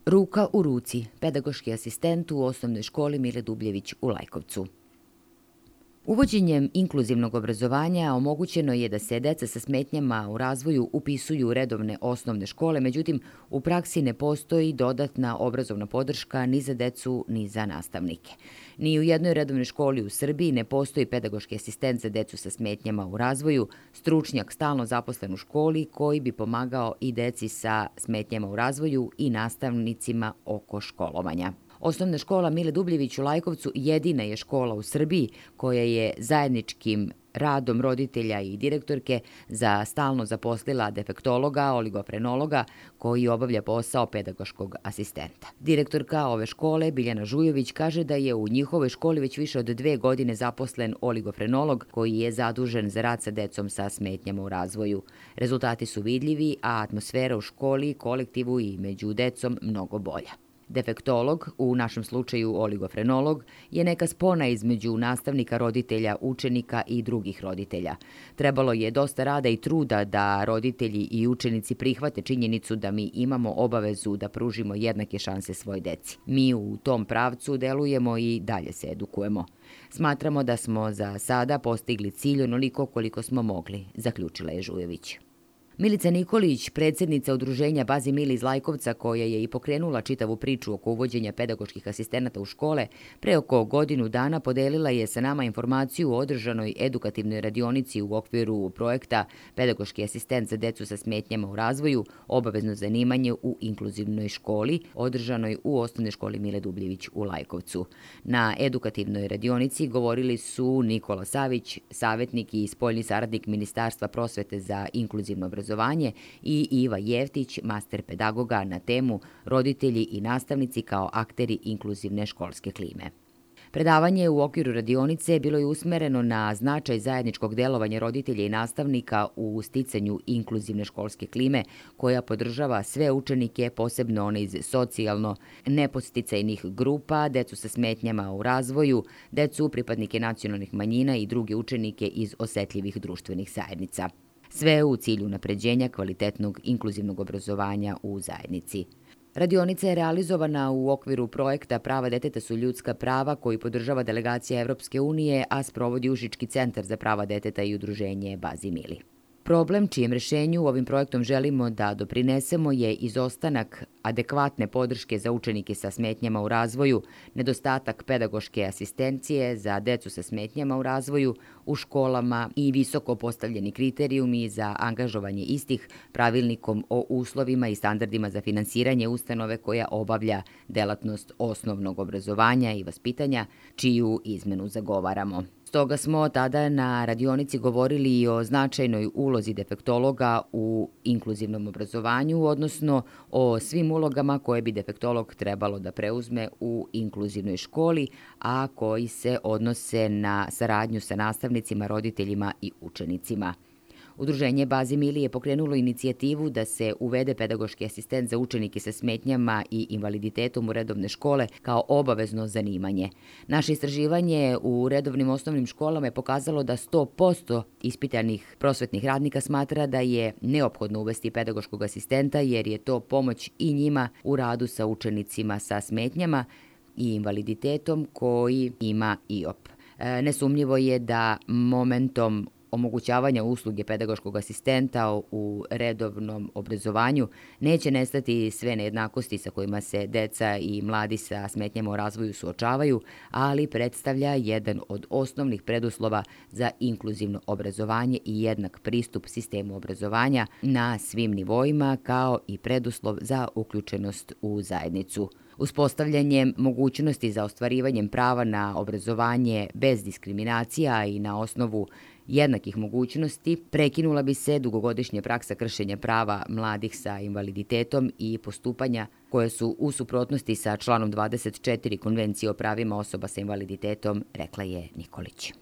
Ruka u ruci, pedagoški asistent u osnovnoj školi Mile Dubljević u Lajkovcu. Uvođenjem inkluzivnog obrazovanja omogućeno je da se deca sa smetnjama u razvoju upisuju u redovne osnovne škole, međutim, u praksi ne postoji dodatna obrazovna podrška ni za decu ni za nastavnike. Ni u jednoj redovnoj školi u Srbiji ne postoji pedagoški asistent za decu sa smetnjama u razvoju, stručnjak stalno zaposlen u školi koji bi pomagao i deci sa smetnjama u razvoju i nastavnicima oko školovanja. Osnovna škola Mile Dubljević u Lajkovcu jedina je škola u Srbiji koja je zajedničkim radom roditelja i direktorke za stalno zaposlila defektologa, oligofrenologa koji obavlja posao pedagoškog asistenta. Direktorka ove škole, Biljana Žujović, kaže da je u njihovoj školi već više od 2 godine zaposlen oligofrenolog koji je zadužen za rad sa decom sa smetnjama u razvoju. Rezultati su vidljivi, a atmosfera u školi, kolektivu i među decom mnogo bolja. Defektolog, u našem slučaju oligofrenolog, je neka spona između nastavnika, roditelja, učenika i drugih roditelja. Trebalo je dosta rada i truda da roditelji i učenici prihvate činjenicu da mi imamo obavezu da pružimo jednake šanse svoj deci. Mi u tom pravcu delujemo i dalje se edukujemo. Smatramo da smo za sada postigli cilj onoliko koliko smo mogli, zaključila je Žujović. Milica Nikolić, predsjednica udruženja Bazi Mili iz Lajkovca, koja je i pokrenula čitavu priču oko uvođenja pedagoških asistenata u škole, pre oko godinu dana podelila je sa nama informaciju o održanoj edukativnoj radionici u okviru projekta Pedagoški asistent za decu sa smetnjama u razvoju, obavezno zanimanje u inkluzivnoj školi, održanoj u osnovnoj školi Mile Dubljević u Lajkovcu. Na edukativnoj radionici govorili su Nikola Savić, savjetnik i spoljni saradnik Ministarstva prosvete za inkluzivno obrazovanje, i Iva Jeftić, master pedagoga, na temu roditelji i nastavnici kao akteri inkluzivne školske klime. Predavanje u okviru radionice bilo je usmereno na značaj zajedničkog delovanja roditelja i nastavnika u sticanju inkluzivne školske klime koja podržava sve učenike, posebno one iz socijalno nepodsticajnih grupa, decu sa smetnjama u razvoju, decu pripadnike nacionalnih manjina i druge učenike iz osetljivih društvenih zajednica. Sve u cilju unapređenja kvalitetnog inkluzivnog obrazovanja u zajednici. Radionica je realizovana u okviru projekta Prava deteta su ljudska prava koji podržava delegacija Evropske unije, a sprovodi Užički centar za prava deteta i udruženje Bazi Mili. Problem čijem rešenju ovim projektom želimo da doprinesemo je izostanak adekvatne podrške za učenike sa smetnjama u razvoju, nedostatak pedagoške asistencije za decu sa smetnjama u razvoju u školama i visoko postavljeni kriterijumi za angažovanje istih pravilnikom o uslovima i standardima za finansiranje ustanove koja obavlja delatnost osnovnog obrazovanja i vaspitanja, čiju izmenu zagovaramo. Stoga smo tada na radionici govorili i o značajnoj ulozi defektologa u inkluzivnom obrazovanju, odnosno o svim ulogama koje bi defektolog trebalo da preuzme u inkluzivnoj školi, a koji se odnose na saradnju sa nastavnicima, roditeljima i učenicima. Udruženje Bazi Mili je pokrenulo inicijativu da se uvede pedagoški asistent za učenike sa smetnjama i invaliditetom u redovne škole kao obavezno zanimanje. Naše istraživanje u redovnim osnovnim školama je pokazalo da 100% ispitanih prosvetnih radnika smatra da je neophodno uvesti pedagoškog asistenta jer je to pomoć i njima u radu sa učenicima sa smetnjama i invaliditetom koji ima IOP. Nesumnjivo je da momentom omogućavanja usluge pedagoškog asistenta u redovnom obrazovanju neće nestati sve nejednakosti sa kojima se deca i mladi sa smetnjama u razvoju suočavaju, ali predstavlja jedan od osnovnih preduslova za inkluzivno obrazovanje i jednak pristup sistemu obrazovanja na svim nivoima, kao i preduslov za uključenost u zajednicu. Uspostavljanjem mogućnosti za ostvarivanjem prava na obrazovanje bez diskriminacija i na osnovu jednakih mogućnosti prekinula bi se dugogodišnja praksa kršenja prava mladih sa invaliditetom i postupanja koje su u suprotnosti sa članom 24 Konvencije o pravima osoba sa invaliditetom, rekla je Nikolić.